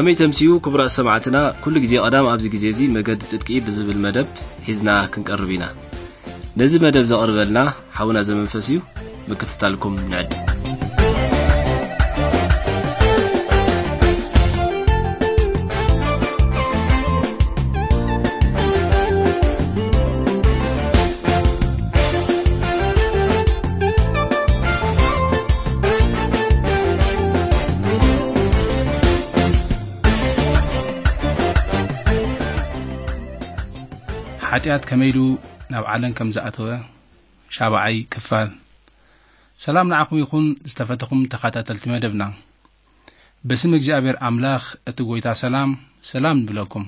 ከመይ ተምስዩ ክቡራት ሰማዕትና፣ ኩሉ ግዜ ቀዳም ኣብዚ ግዜ እዚ መገዲ ጽድቂ ብዝብል መደብ ሒዝና ክንቀርብ ኢና። ነዚ መደብ ዘቕርበልና ሓውና ዘመንፈስ እዩ። ምክትታልኩም ንዕድ። ሓጢኣት ከመይ ኢሉ ናብ ዓለም ከም ዝኣተወ ሻብዓይ ክፋል። ሰላም ንዓኹም ይኹን ዝተፈተኹም ተኸታተልቲ መደብና። በስም እግዚኣብሔር ኣምላኽ እቲ ጐይታ ሰላም፣ ሰላም ንብለኩም።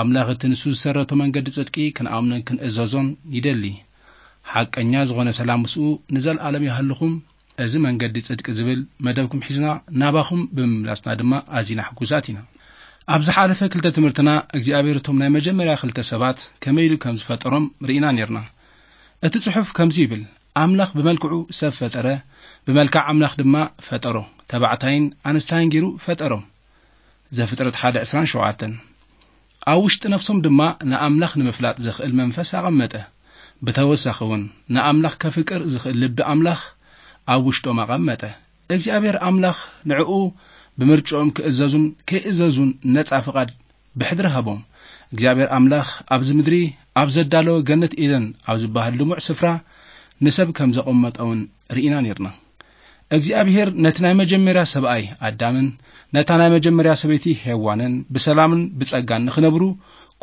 ኣምላኽ እቲ ንሱ ዝሰረቶ መንገዲ ጽድቂ ክንኣምኖን ክንእዘዞን ይደሊ። ሓቀኛ ዝኾነ ሰላም ምስኡ ንዘለኣለም ይሃልኹም። እዚ መንገዲ ጽድቂ ዝብል መደብኩም ሒዝና ናባኹም ብምምላስና ድማ ኣዚና ሕጉሳት ኢና። ኣብ ዝሓለፈ ክልተ ትምህርትና እግዚኣብሔር እቶም ናይ መጀመርያ ክልተ ሰባት ከመይ ኢሉ ከም ዝፈጠሮም ርኢና ኔርና። እቲ ጽሑፍ ከምዚ ይብል፣ ኣምላኽ ብመልክዑ ሰብ ፈጠረ፣ ብመልክዕ ኣምላኽ ድማ ፈጠሮ፣ ተባዕታይን ኣንስታይን ገይሩ ፈጠሮም። ዘፍጥረት ሓደ ዕስራን ሸውዓተን። ኣብ ውሽጢ ነፍሶም ድማ ንኣምላኽ ንምፍላጥ ዘኽእል መንፈስ ኣቐመጠ። ብተወሳኺ እውን ንኣምላኽ ከፍቅር ዝኽእል ልቢ ኣምላኽ ኣብ ውሽጦም ኣቐመጠ። እግዚኣብሔር ኣምላኽ ንዕኡ ብምርጭኦም ክእዘዙን ከይእዘዙን ነጻ ፍቓድ ብሕድሪ ሃቦም። እግዚኣብሔር ኣምላኽ ኣብዚ ምድሪ ኣብ ዘዳለወ ገነት ኤደን ኣብ ዝበሃል ልሙዕ ስፍራ ንሰብ ከም ዘቐመጠ እውን ርኢና ኔርና። እግዚኣብሔር ነቲ ናይ መጀመርያ ሰብኣይ ኣዳምን ነታ ናይ መጀመርያ ሰበይቲ ሄዋንን ብሰላምን ብጸጋን ንኽነብሩ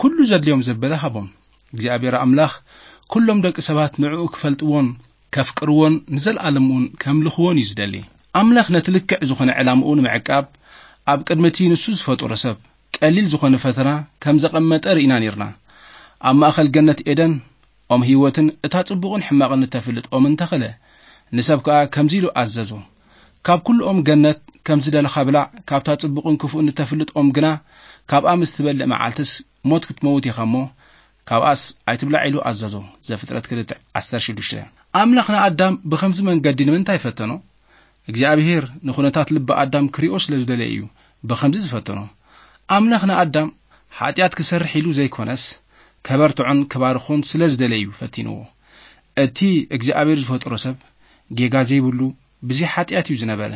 ኩሉ ዘድልዮም ዘበለ ሃቦም። እግዚኣብሔር ኣምላኽ ኩሎም ደቂ ሰባት ንዕኡ ክፈልጥዎን ከፍቅርዎን ንዘለኣለም እውን ከምልኽዎን እዩ ዝደሊ። ኣምላኽ ነቲ ልክዕ ዝኾነ ዕላምኡ ንምዕቃብ ኣብ ቅድሚ እቲ ንሱ ዝፈጠሮ ሰብ ቀሊል ዝኾነ ፈተና ከም ዘቐመጠ ርኢና ኔርና። ኣብ ማእከል ገነት ኤደን ኦም ህይወትን እታ ጽቡቕን ሕማቕን እተፍልጥ ኦምን ተኸለ። ንሰብ ከኣ ከምዚ ኢሉ ኣዘዞ፣ ካብ ኩሉ ኦም ገነት ከም ዝደለኻ ብላዕ፣ ካብታ ጽቡቕን ክፉእን እተፍልጥ ኦም ግና ካብኣ ምስ ትበልዕ መዓልትስ ሞት ክትመውት ኢኻ እሞ ካብኣስ ኣይትብላዕ ኢሉ ኣዘዞ። ዘፍጥረት ክልተ ዓሰርተ ሽዱሽተ። ኣምላኽ ንኣዳም ብኸምዚ መንገዲ ንምንታይ ፈተኖ? እግዚኣብሔር ንኹነታት ልቢ ኣዳም ክሪኦ ስለ ዝደለየ እዩ ብኸምዚ ዝፈተኖ። ኣምላኽ ንኣዳም ሓጢኣት ክሰርሕ ኢሉ ዘይኮነስ፣ ከበርትዖን ክባርኾን ስለ ዝደለየ እዩ ፈቲንዎ። እቲ እግዚኣብሔር ዝፈጠሮ ሰብ ጌጋ ዘይብሉ ብዘይ ሓጢኣት እዩ ዝነበረ።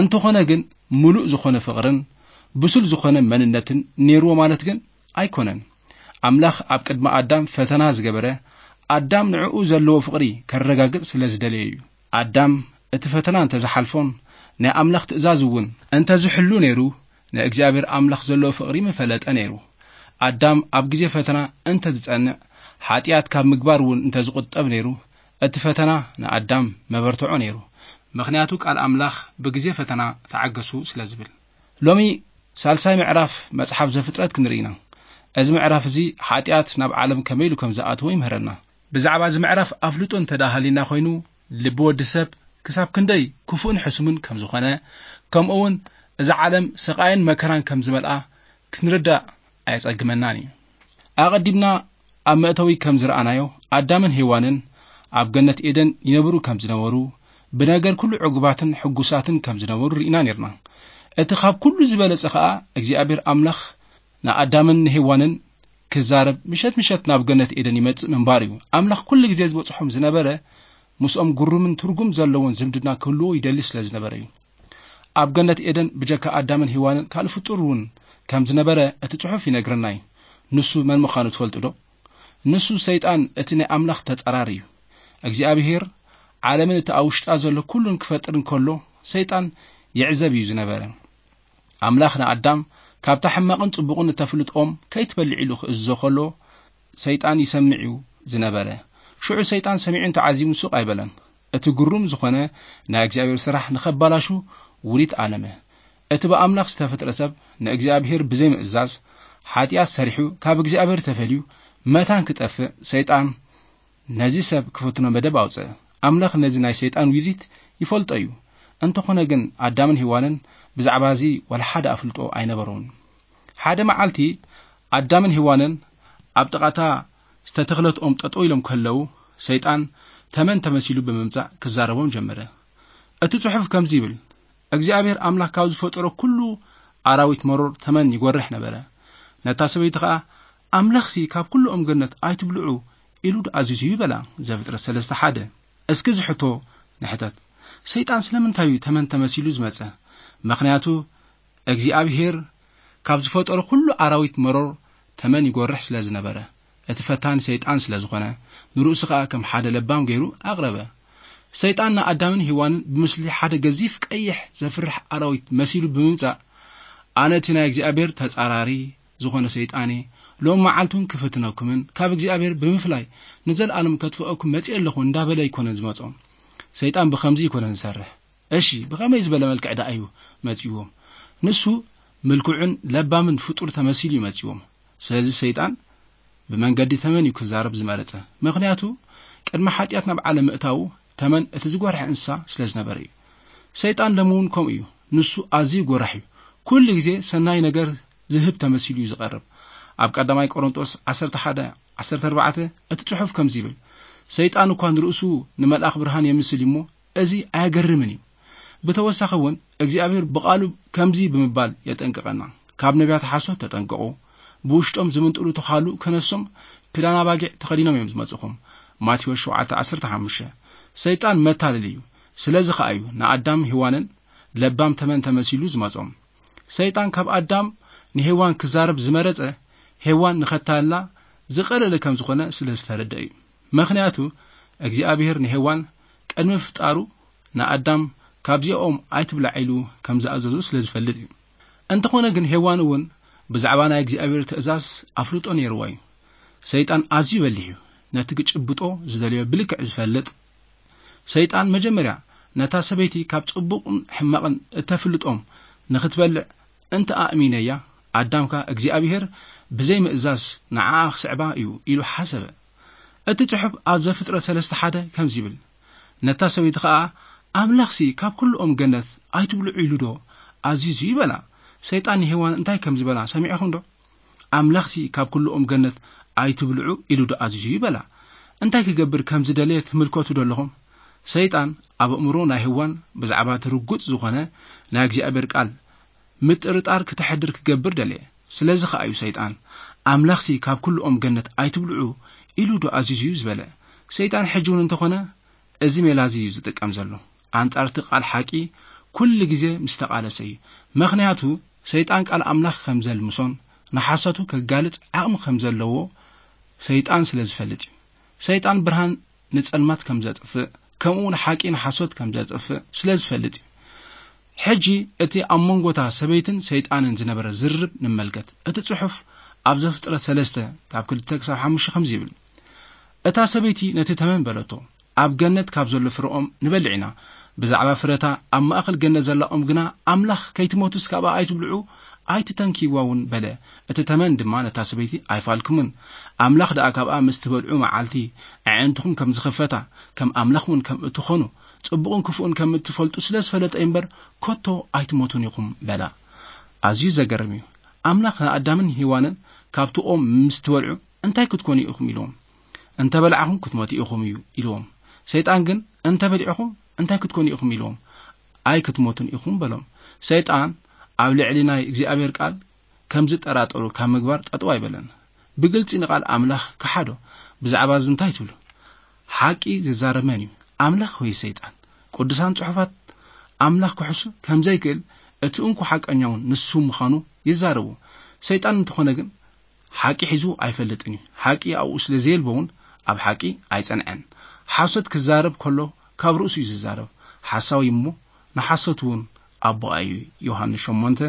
እንተኾነ ግን፣ ምሉእ ዝኾነ ፍቕርን ብሱል ዝኾነ መንነትን ኔርዎ ማለት ግን ኣይኮነን። ኣምላኽ ኣብ ቅድሚ ኣዳም ፈተና ዝገበረ፣ ኣዳም ንዕኡ ዘለዎ ፍቕሪ ከረጋግጽ ስለ ዝደለየ እዩ። ኣዳም እቲ ፈተና እንተ ዝሓልፎን ናይ ኣምላኽ ትእዛዝ እውን እንተ ዝሕሉ ነይሩ፣ ንእግዚኣብሔር ኣምላኽ ዘለዎ ፍቕሪ ምፈለጠ ነይሩ። ኣዳም ኣብ ግዜ ፈተና እንተ ዝጸንዕ፣ ሓጢኣት ካብ ምግባር እውን እንተ ዝቑጠብ ነይሩ፣ እቲ ፈተና ንኣዳም መበርትዖ ነይሩ። ምኽንያቱ ቃል ኣምላኽ ብግዜ ፈተና ተዓገሱ ስለ ዝብል። ሎሚ ሳልሳይ ምዕራፍ መጽሓፍ ዘፍጥረት ክንርኢ ኢና። እዚ ምዕራፍ እዚ ሓጢኣት ናብ ዓለም ከመይ ኢሉ ከም ዝኣተወ ይምህረና። ብዛዕባ እዚ ምዕራፍ ኣፍልጦ እንተ ደኣ ሃልዩና ኮይኑ፣ ልቢ ወዲ ሰብ ክሳብ ክንደይ ክፉእን ሕሱምን ከም ዝኾነ፣ ከምኡ እውን እዛ ዓለም ስቓይን መከራን ከም ዝመልኣ ክንርዳእ ኣየጸግመናን እዩ። ኣቐዲምና ኣብ መእተዊ ከም ዝረኣናዮ፣ ኣዳምን ሄዋንን ኣብ ገነት ኤደን ይነብሩ ከም ዝነበሩ፣ ብነገር ኩሉ ዕጉባትን ሕጉሳትን ከም ዝነበሩ ርኢና ኔርና። እቲ ካብ ኩሉ ዝበለጸ ኸኣ እግዚኣብሔር ኣምላኽ ንኣዳምን ንሄዋንን ክዛረብ ምሸት ምሸት ናብ ገነት ኤደን ይመጽእ ምንባር እዩ። ኣምላኽ ኩሉ ግዜ ዝበጽሖም ዝነበረ ምስኦም ግሩምን ትርጉም ዘለዎን ዝምድና ክህልዎ ይደሊ ስለ ዝነበረ እዩ። ኣብ ገነት ኤደን ብጀካ ኣዳምን ሄዋንን ካልእ ፍጡር እውን ከም ዝነበረ እቲ ጽሑፍ ይነግረና እዩ። ንሱ መን ምዃኑ ትፈልጡ ዶ? ንሱ ሰይጣን፣ እቲ ናይ ኣምላኽ ተጻራሪ እዩ። እግዚኣብሔር ዓለምን እቲ ኣብ ውሽጣ ዘሎ ኩሉን ክፈጥር እንከሎ ሰይጣን ይዕዘብ እዩ ዝነበረ። ኣምላኽ ንኣዳም ካብታ ሕማቕን ጽቡቕን እተፍልጥ ኦም ከይትበልዕ ኢሉ ክእዝዞ ከሎ፣ ሰይጣን ይሰምዕ እዩ ዝነበረ። ሽዑ ሰይጣን ሰሚዑን ተዓዚቡን ሱቕ ኣይበለን። እቲ ግሩም ዝኾነ ናይ እግዚኣብሔር ስራሕ ንኸባላሹ ውዲት ኣለመ። እቲ ብኣምላኽ ዝተፈጥረ ሰብ ንእግዚኣብሔር ብዘይምእዛዝ ሓጢኣት ሰሪሑ ካብ እግዚኣብሔር ተፈልዩ መታን ክጠፍእ ሰይጣን ነዚ ሰብ ክፍትኖ መደብ ኣውጽአ። ኣምላኽ ነዚ ናይ ሰይጣን ውዲት ይፈልጦ እዩ። እንተኾነ ግን ኣዳምን ሄዋንን ብዛዕባ እዚ ዋላ ሓደ ኣፍልጦ ኣይነበሮምን። ሓደ መዓልቲ ኣዳምን ሄዋንን ኣብ ጥቓ እታ ዝተተኽለት ኦም ጠጠው ኢሎም ከለዉ፣ ሰይጣን ተመን ተመሲሉ ብምምጻእ ክዛረቦም ጀመረ። እቲ ጽሑፍ ከምዚ ይብል፣ እግዚኣብሔር ኣምላኽ ካብ ዝፈጠሮ ኩሉ ኣራዊት መሮር ተመን ይጎርሕ ነበረ። ነታ ሰበይቲ ኸኣ፣ "ኣምላኽሲ ካብ ኩሉ ኦም ገነት ኣይትብልዑ ኢሉ ዶ ኣዚዙ እዩ?" በላ። ዘፍጥረት ሰለስተ ሓደ። እስኪ እዚ ሕቶ ንሕተት። ሰይጣን ስለምንታይ እዩ ተመን ተመሲሉ ዝመጸ? ምኽንያቱ እግዚኣብሄር ካብ ዝፈጠሮ ኩሉ ኣራዊት መሮር ተመን ይጎርሕ ስለ ዝነበረ፣ እቲ ፈታኒ ሰይጣን ስለ ዝኾነ፣ ንርእሱ ኸኣ ከም ሓደ ለባም ገይሩ ኣቕረበ። ሰይጣን ንኣዳምን ሄዋንን ብምስሊ ሓደ ገዚፍ ቀይሕ ዘፍርሕ ኣራዊት መሲሉ ብምምጻእ፣ "ኣነ እቲ ናይ እግዚኣብሔር ተጻራሪ ዝኾነ ሰይጣን እየ። ሎም መዓልቲ እውን ክፍትነኩምን ካብ እግዚኣብሔር ብምፍላይ ንዘለኣለም ከጥፍአኩም መጺአ ኣለኹ" እንዳበለ ኣይኮነን ዝመጾም። ሰይጣን ብኸምዚ ኣይኮነን ዝሰርሕ። እሺ፣ ብኸመይ ዝበለ መልክዕ ደኣ እዩ መጺዎም? ንሱ ምልኩዕን ለባምን ፍጡር ተመሲሉ እዩ መጺዎም። ስለዚ ሰይጣን ብመንገዲ ተመን እዩ ክዛረብ ዝመረጸ። ምኽንያቱ፣ ቅድሚ ሓጢኣት ናብ ዓለም ምእታዉ ተመን እቲ ዝጎርሐ እንስሳ ስለ ዝነበረ እዩ። ሰይጣን ሎሚ እውን ከምኡ እዩ። ንሱ ኣዝዩ ጎራሕ እዩ። ኩሉ ግዜ ሰናይ ነገር ዝህብ ተመሲሉ እዩ ዝቐርብ። ኣብ ቀዳማይ ቆሮንጦስ ዓሰርተ ሓደ ዓሰርተ ኣርባዕተ እቲ ጽሑፍ ከምዚ ይብል፣ "ሰይጣን እኳ ንርእሱ ንመልኣኽ ብርሃን የምስል እዩ እሞ፣ እዚ ኣየገርምን እዩ።" ብተወሳኺ እውን እግዚኣብሔር ብቓሉ ከምዚ ብምባል የጠንቅቐና፣ "ካብ ነቢያት ሓሶት ተጠንቀቑ፣ ብውሽጦም ዝምንጥሉ ተዃሉ ከነሶም ክዳን ኣባጊዕ ተኸዲኖም እዮም ዝመጽኹም።" ማቴዎስ ሸውዓተ ዓሰርተ ሓሙሽተ። ሰይጣን መታለሊ እዩ። ስለዚ ኸኣ እዩ ንኣዳም ሄዋንን ለባም ተመን ተመሲሉ ዝመጾም። ሰይጣን ካብ ኣዳም ንሄዋን ክዛረብ ዝመረጸ፣ ሄዋን ንኸታልላ ዝቐለለ ከም ዝኾነ ስለ ዝተረድአ እዩ። ምኽንያቱ እግዚኣብሔር ንሄዋን ቅድሚ ምፍጣሩ ንኣዳም፣ "ካብዚኦም ኣይትብላዕ" ኢሉ ከም ዝኣዘዞ ስለ ዝፈልጥ እዩ። እንተኾነ ግን ሄዋን እውን ብዛዕባ ናይ እግዚኣብሔር ትእዛዝ ኣፍልጦ ነይርዋ እዩ። ሰይጣን ኣዝዩ በሊሕ እዩ። ነቲ ክጭብጦ ዝደለዮ ብልክዕ ዝፈልጥ ሰይጣን መጀመርያ ነታ ሰበይቲ ካብ ጽቡቕን ሕማቕን እተፍልጦም ንኽትበልዕ እንተ ኣእሚነያ፣ ኣዳም ከኣ እግዚኣብሔር ብዘይ ምእዛዝ ንዓኣ ክስዕባ እዩ ኢሉ ሓሰበ። እቲ ጽሑፍ ኣብ ዘፍጥረት ሰለስተ ሓደ ከምዚ ይብል፣ "ነታ ሰበይቲ ኸኣ ኣምላኽሲ ካብ ኩሉ ኦም ገነት ኣይትብልዑ ኢሉ ዶ ኣዚዙ?" ይበላ። ሰይጣን ንሄዋን እንታይ ከም ዝበላ ሰሚዕኹም ዶ? "ኣምላኽሲ ካብ ኩሉ ኦም ገነት ኣይትብልዑ ኢሉ ዶ ኣዚዙ?" ይበላ። እንታይ ክገብር ከም ዝደለየ ትምልከቱ ዶ ኣለኹም? ሰይጣን ኣብ ኣእምሮ ናይ ሄዋን ብዛዕባ እቲ ርጉጽ ዝኾነ ናይ እግዚኣብሔር ቃል ምጥርጣር ክተሕድር ክገብር ደለየ። ስለዚ ኸኣ እዩ ሰይጣን፣ "ኣምላኽሲ ካብ ኩሉ ኦም ገነት ኣይትብልዑ ኢሉ ዶ ኣዚዙ እዩ?" ዝበለ። ሰይጣን ሕጂ እውን እንተኾነ እዚ ሜላ እዚ እዩ ዝጥቀም ዘሎ። ኣንጻር እቲ ቃል ሓቂ ኩሉ ግዜ ምስ ተቓለሰ እዩ። ምኽንያቱ ሰይጣን ቃል ኣምላኽ ከም ዘልምሶን ንሓሶቱ ከጋልጽ ዓቕሚ ከም ዘለዎ ሰይጣን ስለ ዝፈልጥ እዩ። ሰይጣን ብርሃን ንጸልማት ከም ዘጥፍእ፣ ከምኡ እውን ሓቂ ንሓሶት ከም ዘጥፍእ ስለ ዝፈልጥ እዩ። ሕጂ እቲ ኣብ መንጎታ ሰበይትን ሰይጣንን ዝነበረ ዝርርብ ንመልከት። እቲ ጽሑፍ ኣብ ዘፍጥረት ሰለስተ ካብ ክልተ ክሳብ ሓሙሽተ ከምዚ ይብል፣ "እታ ሰበይቲ ነቲ ተመን በለቶ፣ ኣብ ገነት ካብ ዘሎ ፍረኦም ንበልዕ ኢና፣ ብዛዕባ ፍረታ ኣብ ማእከል ገነት ዘላ ኦም ግና ኣምላኽ ከይትሞቱስ ካብኣ ኣይትብልዑ ኣይትተንክይዋ እውን" በለ። እቲ ተመን ድማ ነታ ሰበይቲ፣ "ኣይፋልኩምን፣ ኣምላኽ ደኣ ካብኣ ምስ ትበልዑ መዓልቲ ኣዒንትኹም ከም ዝኸፈታ፣ ከም ኣምላኽ እውን ከም እትኾኑ፣ ጽቡቕን ክፉእን ከም እትፈልጡ ስለ ዝፈለጠ እምበር፣ ከቶ ኣይትሞቱን ኢኹም" በላ። ኣዝዩ ዘገርም እዩ። ኣምላኽ ንኣዳምን ሄዋንን፣ "ካብቲ ኦም ምስ ትበልዑ እንታይ ክትኮኑ ኢኹም?" ኢልዎም። "እንተ በላዕኹም ክትሞቱ ኢኹም" እዩ ኢልዎም። ሰይጣን ግን፣ "እንተ በሊዕኹም እንታይ ክትኮኑ ኢኹም?" ኢልዎም። "ኣይክትሞቱን ኢኹም" በሎም። ሰይጣን ኣብ ልዕሊ ናይ እግዚኣብሔር ቃል ከም ዝጠራጠሩ ካብ ምግባር ጠጠው ኣይበለን። ብግልጺ ንቓል ኣምላኽ ከሓዶ። ብዛዕባ እዚ እንታይ ትብሉ? ሓቂ ዝዛረብ መን እዩ? ኣምላኽ ወይ ሰይጣን? ቅዱሳን ጽሑፋት ኣምላኽ ክሕሱ ከም ዘይክእል፣ እቲ እንኮ ሓቀኛ እውን ንሱ ምዃኑ ይዛረቡ። ሰይጣን እንተኾነ ግን ሓቂ ሒዙ ኣይፈልጥን እዩ። ሓቂ ኣብኡ ስለ ዘየልቦ እውን ኣብ ሓቂ ኣይጸንዐን። ሓሶት ክዛረብ ከሎ ካብ ርእሱ እዩ ዝዛረብ። ሓሳዊ እሞ ንሓሶት እውን ኣቦኣ እዩ፣ ዮሃንስ ሸሞንተ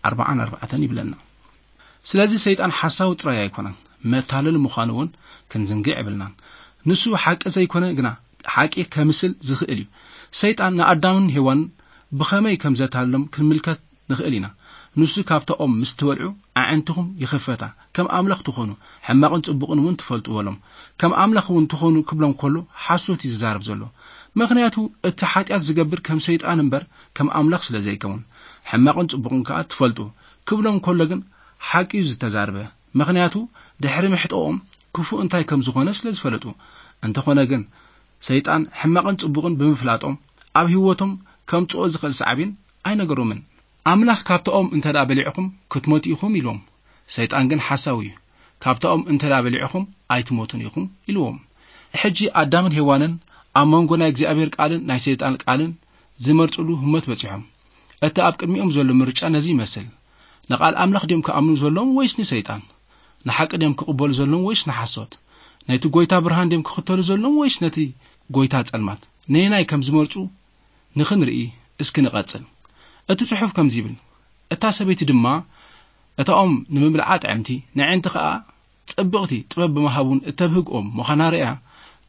ኣርባዓን ኣርባዕተን ይብለና። ስለዚ ሰይጣን ሓሳዊ ጥራይ ኣይኮነን፣ መታለሊ ምዃኑ እውን ክንዝንግዕ የብልናን። ንሱ ሓቂ ዘይኮነ ግና ሓቂ ከምስል ዝኽእል እዩ። ሰይጣን ንኣዳምን ሄዋንን ብኸመይ ከም ዘታለሎም ክንምልከት ንኽእል ኢና። ንሱ፣ "ካብታ ኦም ምስ ትበልዑ ኣዒንትኹም ይኽፈታ፣ ከም ኣምላኽ ትኾኑ፣ ሕማቕን ጽቡቕን እውን ትፈልጡ" በሎም። ከም ኣምላኽ እውን ትኾኑ ክብሎም ከሎ ሓሶት እዩ ዝዛረብ ዘሎ። ምኽንያቱ እቲ ሓጢኣት ዝገብር ከም ሰይጣን እምበር ከም ኣምላኽ ስለ ዘይከውን፣ "ሕማቕን ጽቡቕን ከኣ ትፈልጡ" ክብሎም ከሎ ግን ሓቂ እዩ ዝተዛርበ። ምኽንያቱ ድሕሪ ምሕጠኦም ክፉእ እንታይ ከም ዝኾነ ስለ ዝፈለጡ። እንተኾነ ግን ሰይጣን ሕማቕን ጽቡቕን ብምፍላጦም ኣብ ህይወቶም ከምጽኦ ዝኽእል ሳዕቤን ኣይነገሮምን። ኣምላኽ፣ "ካብታኦም እንተ ደኣ በሊዕኹም ክትሞቱ ኢኹም" ኢልዎም። ሰይጣን ግን ሓሳዊ እዩ። "ካብታኦም እንተ ደኣ በሊዕኹም ኣይትሞቱን ኢኹም" ኢልዎም። ሕጂ ኣዳምን ሄዋንን ኣብ መንጎ ናይ እግዚኣብሔር ቃልን ናይ ሰይጣን ቃልን ዝመርጽሉ ህሞት በጺሖም። እቲ ኣብ ቅድሚኦም ዘሎ ምርጫ ነዚ ይመስል። ንቓል ኣምላኽ ድዮም ክኣምኑ ዘለዎም ወይስ ንሰይጣን? ንሓቂ ድዮም ክቕበሉ ዘለዎም ወይስ ንሓሶት? ነቲ ጐይታ ብርሃን ድዮም ክኽተሉ ዘለዎም ወይስ ነቲ ጐይታ ጸልማት? ነየናይ ከም ዝመርጹ ንኽንርኢ እስኪ ንቐጽል። እቲ ጽሑፍ ከምዚ ይብል፣ "እታ ሰበይቲ ድማ እታኦም ንምብልዓ ጥዕምቲ፣ ነዕንቲ ኸኣ ጽብቕቲ ጥበብ ብምሃቡን እተብህግኦም ምዃና ርእያ፣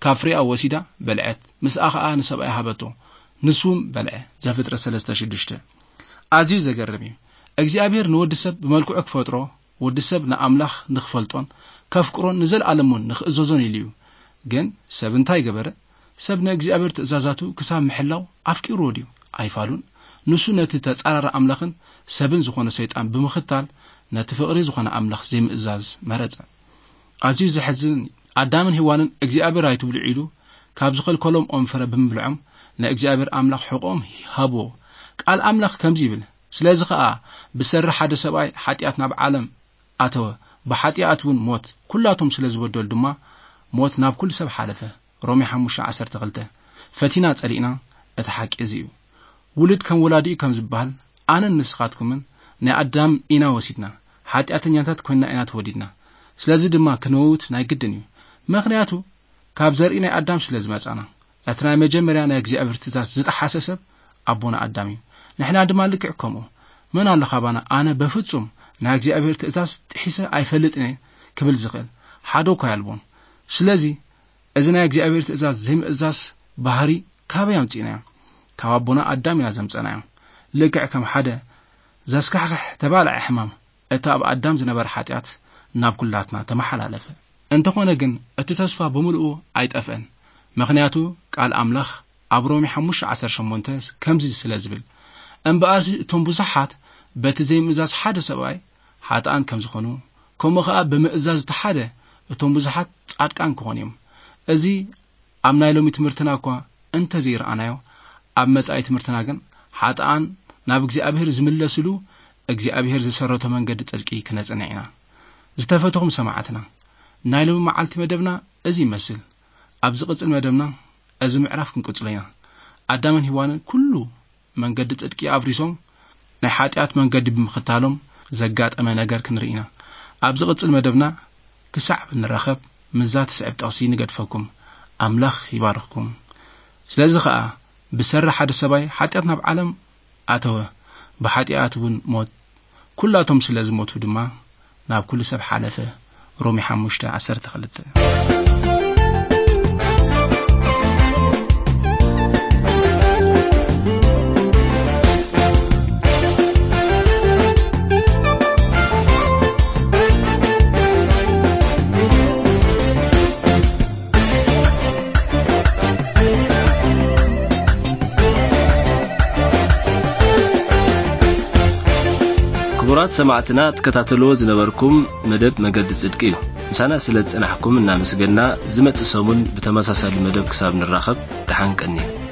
ካብ ፍሬኣ ወሲዳ በልዐት፣ ምስኣ ኸኣ ንሰብኣያ ሃበቶ፣ ንሱ እውን በልዐ።" ዘፍጥረት ሰለስተ ሽዱሽተ። ኣዝዩ ዘገርም እዩ። እግዚኣብሔር ንወዲ ሰብ ብመልክዑ ክፈጥሮ፣ ወዲ ሰብ ንኣምላኽ ንኽፈልጦን ከፍቅሮን ንዘለኣለሙን ንኽእዘዞን ኢሉ እዩ። ግን ሰብ እንታይ ገበረ? ሰብ ንእግዚኣብሔር ትእዛዛቱ ክሳብ ምሕላው ኣፍቂርዎ ድዩ? ኣይፋሉን። ንሱ ነቲ ተጻራሪ ኣምላኽን ሰብን ዝኾነ ሰይጣን ብምኽታል፣ ነቲ ፍቕሪ ዝኾነ ኣምላኽ ዘይምእዛዝ መረጸ። ኣዝዩ ዘሕዝን እዩ። ኣዳምን ሄዋንን እግዚኣብሔር ኣይትብልዑ ኢሉ ካብ ዝኸልከሎም ኦም ፍረ ብምብልዖም፣ ንእግዚኣብሔር ኣምላኽ ሕቖኦም ሃብዎ። ቃል ኣምላኽ ከምዚ ይብል፣ "ስለዚ ኸኣ ብሰሪ ሓደ ሰብኣይ ሓጢኣት ናብ ዓለም ኣተወ፣ ብሓጢኣት እውን ሞት፣ ኩላቶም ስለ ዝበደሉ ድማ ሞት ናብ ኩሉ ሰብ ሓለፈ።" ሮሜ ሓሙሽተ ዓሰርተ ክልተ። ፈቲና ጸሊእና፣ እቲ ሓቂ እዚ እዩ። ውሉድ ከም ወላዲኡ ከም ዝበሃል፣ ኣነን ንስኻትኩምን ናይ ኣዳም ኢና ወሲድና፣ ሓጢኣተኛታት ኮይንና ኢና ተወሊድና። ስለዚ ድማ ክንመውት ናይ ግድን እዩ። ምኽንያቱ፣ ካብ ዘርኢ ናይ ኣዳም ስለ ዝመጻና። እቲ ናይ መጀመርያ ናይ እግዚኣብሔር ትእዛዝ ዝጠሓሰ ሰብ ኣቦና ኣዳም እዩ። ንሕና ድማ ልክዕ ከምኡ። መን ኣሎ ካባና፣ "ኣነ በፍጹም ናይ እግዚኣብሔር ትእዛዝ ጥሒሰ ኣይፈልጥን እየ" ክብል ዝኽእል? ሓደ እኳ ኣልቦን። ስለዚ፣ እዚ ናይ እግዚኣብሔር ትእዛዝ ዘይምእዛዝ ባህሪ ካበይ ኣምጺእናዮ? ካብ ኣቦና ኣዳም ኢና ዘምጸናዮ። ልክዕ ከም ሓደ ዘስካሕክሕ ተባልዐ ሕማም፣ እቲ ኣብ ኣዳም ዝነበረ ሓጢኣት ናብ ኩላትና ተመሓላለፈ። እንተኾነ ግን፣ እቲ ተስፋ ብምልኡ ኣይጠፍአን። ምኽንያቱ፣ ቃል ኣምላኽ ኣብ ሮሜ ሓሙሽተ ዓሰርተ ሸሞንተ ከምዚ ስለ ዝብል፣ "እምበኣርሲ እቶም ብዙሓት በቲ ዘይምእዛዝ ሓደ ሰብኣይ ሓጥኣን ከም ዝኾኑ፣ ከምኡ ኸኣ ብምእዛዝ እቲ ሓደ እቶም ብዙሓት ጻድቃን ክኾኑ እዮም።" እዚ ኣብ ናይ ሎሚ ትምህርትና እኳ እንተ ዘይረኣናዮ፣ ኣብ መጻኢ ትምህርትና ግን ሓጥኣን ናብ እግዚኣብሔር ዝምለስሉ፣ እግዚኣብሔር ዝሰረቶ መንገዲ ጽድቂ ክነጽንዕ ኢና። ዝተፈተኹም ሰማዕትና፣ ናይ ሎሚ መዓልቲ መደብና እዚ ይመስል። ኣብ ዝቕጽል መደብና እዚ ምዕራፍ ክንቅጽሎ ኢና። ኣዳምን ሄዋንን ኩሉ መንገዲ ጽድቂ ኣፍሪሶም ናይ ሓጢኣት መንገዲ ብምኽታሎም ዘጋጠመ ነገር ክንርኢ ኢና። ኣብ ዝቕጽል መደብና ክሳዕ ብንራኸብ ምስዛ ትስዕብ ጥቕሲ ንገድፈኩም። ኣምላኽ ይባርኽኩም። ስለዚ ኸኣ ብሰሪ ሓደ ሰብኣይ ሓጢኣት ናብ ዓለም ኣተወ፣ ብሓጢኣት እውን ሞት። ኩላቶም ስለ ዝሞቱ ድማ ናብ ኩሉ ሰብ ሓለፈ። ሮሜ ሓሙሽተ ዓሰርተ ክልተ። ክቡራት ሰማዕትና፣ ትከታተልዎ ዝነበርኩም መደብ መገዲ ጽድቂ እዩ። ምሳና ስለ ዝጸናሕኩም እናመስገንና፣ ዝመጽእ ሰሙን ብተመሳሳሊ መደብ ክሳብ ንራኸብ፣ ደሓን ቀንዩ።